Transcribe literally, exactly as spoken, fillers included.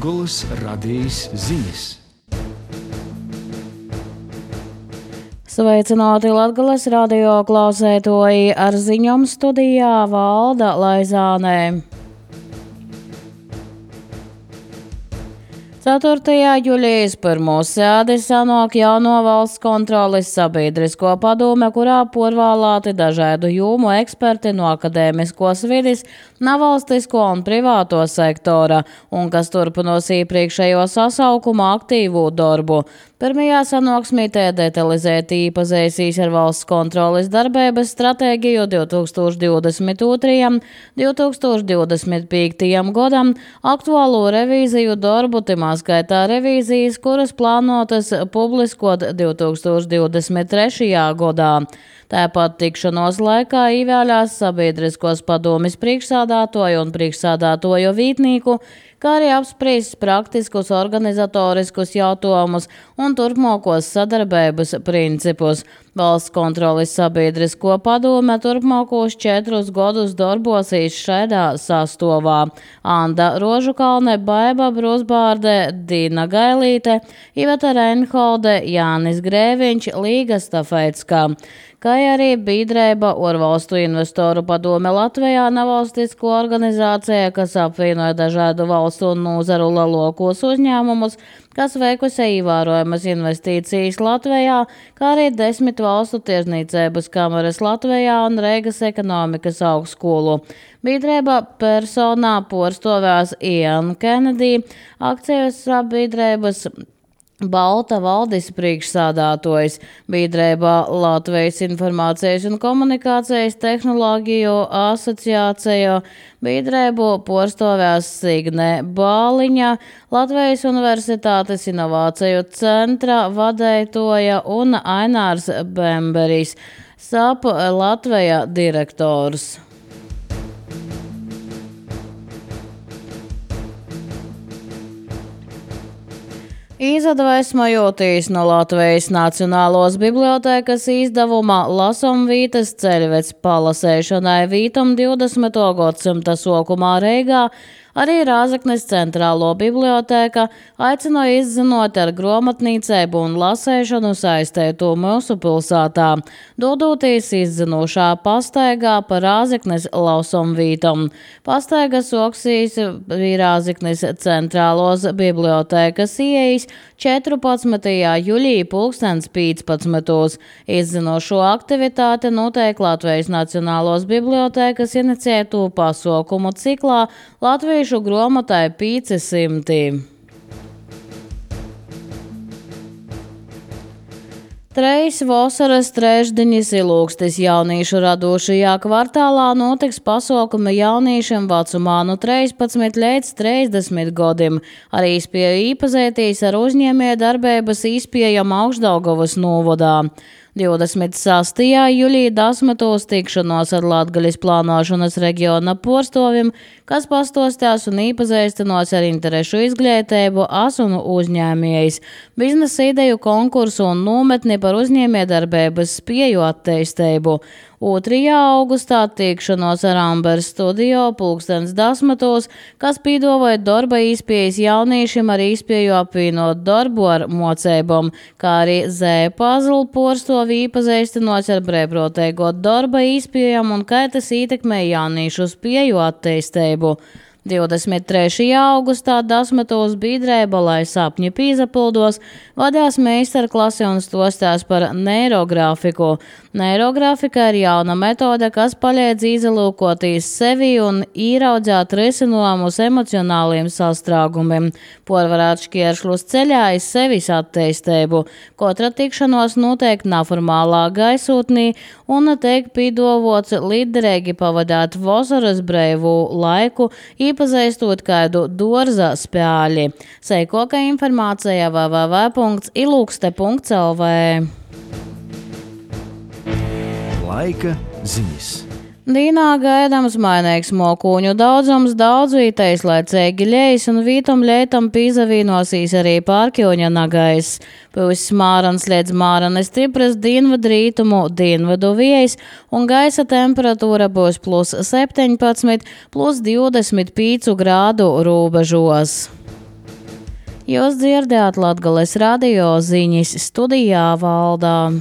Latgolas radījis ziņas. Sveicināti Latgolas radio klausētoji, ar ziņom studijā Valda Laizānē. ceturtajā jūlijas pirmo sēdi sanāk jauno valsts kontroles sabiedrisko padome, kurā porvālāti dažādu jomu eksperti no akadēmiskos vides, nevalstisko un privāto sektora, un kas turpinos iepriekšējo sasaukuma aktīvu darbu. Pirmajā sanāksmītē detalizēti iepazīstīs ar valsts kontroles darbības stratēģiju divtūkstoš divdesmit otrajam - divtūkstoš divdesmit piektajam gadam, aktuālo revīziju darbu, timā skaitā revīzijas, kuras plānotas publiskot divtūkstoš divdesmit trešajā gadā. Tāpat tikšanos laikā ievēlās sabiedriskos padomes priekšsādātoju un priekšsādātoju vītnieku, kā arī apspriest praktiskus organizatoriskus jautājumus un turpmākos sadarbības principus. Valsts kontroles sabiedrisko padome turpmākos četrus gadus darbosīs šādā sastāvā: Anda Rožukalne, Baiba Brūsbārde, Dīna Gailīte, Iveta Reinholde, Jānis Grēviņš, Līga Stafeitska. Kā arī biedrība Ārvalstu investoru padome Latvijā, nevalstisko organizācija, kas apvienoja dažādu valstu un nozaru lielākos uzņēmumus, kas veikusi ievērojamas investīcijas Latvijā, kā arī desmit valstu tirzniecības kameras Latvijā un Reigas ekonomikas augstskolu. Biedrība personā porstovēs Ian Kennedy, akcijas biedrības Balta valdes priekšsādātojs, biedrībā Latvijas informācijas un komunikācijas tehnoloģiju asociācija, biedrību porstovēs Signe Bāliņa, Latvijas Universitātes inovāciju centra vadētoja un Ainārs Bemberis, S A P Latvija direktors. Izadvesmojotīs no Latvijas Nacionālos bibliotēkas izdevuma Lasomvītas ceļveds palasēšanai vītam divdesmito gadsimta sokumā Reigā, arī Rāzaknes centrālo bibliotēka aicināja izzinot ar grāmatnīcību un lasēšanu saistētu mūsu pilsētā, dodotīs izzinošā pastaigā pa Rāzaknes Lasomvītam. Pastaiga soksīs Rāzaknes centrālos bibliotēkas ieejas četrpadsmitajā jūlijā pulkstens piecpadsmitos. Izzinošo aktivitāti notiek Latvijas Nacionālos bibliotēkas iniciētu pasaukumu ciklā Latviešu grāmatai pieci simti. Treis vasaras trešdiņas ilūgstis jauniešu radošajā kvartālā notiks pasaukumi jauniešiem vecumā no trīspadsmit līdz trīsdesmit gadiem. Arī spēja iepazīties ar uzņēmējdarbības izpējam Augšdaugavas novadā. divdesmit sastajā jūlijā desmitos tikšanos ar Latgaļas plānošanas reģiona porstovim, kas pastostās un iepazīstinos ar interešu izglītību, as un uzņēmējs, biznesa ideju konkursu un nometni par uzņēmējdarbības spēju attīstību. otrajā augustā tikšanos ar Amber studio pulkstens desmitos, kas pīdavoja darba izpējas jauniešiem ar izpēju apvienot darbu ar mocībām, kā arī Z Puzzle porstovi iepazīstinos ar brīvprātīgo darba izpējām un kā tas ietekmē jauniešu spēju attīstību. divdesmit trešajā augustā desmitos biedrība, lai sapņi pīzapildos, vadās meistarklasi un stostās par neirografiku. Neirografika ir jauna metode, kas palīdz izlūkoties sevi un īraudzēt risinājumus emocionāliem sastrāgumiem, porvarēt šķēršļus ceļā iz sevis attīstību. Katra tikšanos notiek neformālā gaisotnī un tiek pīdavots liderīgi pavadāt vasaras brīvu laiku, iepazīstot kādu dārza spēli. Seikoka informācija w w w punkts ilūkste punkts l v. Laika ziņas. Dīnā gaidāms mainīgs mokūņu daudzums, daudz vītais laicīgi ļejas un vītam ļeitam pīzavīnosīs arī pārkjoņa nagais. Pūs mārans līdz māranes stipras dienvidu rītumu, dienvidu viejas un gaisa temperatūra būs plus septiņpadsmit, plus divdesmit pieci grādu robežos. Jūs dzirdējāt Latgales radio ziņas, studijā Valdā.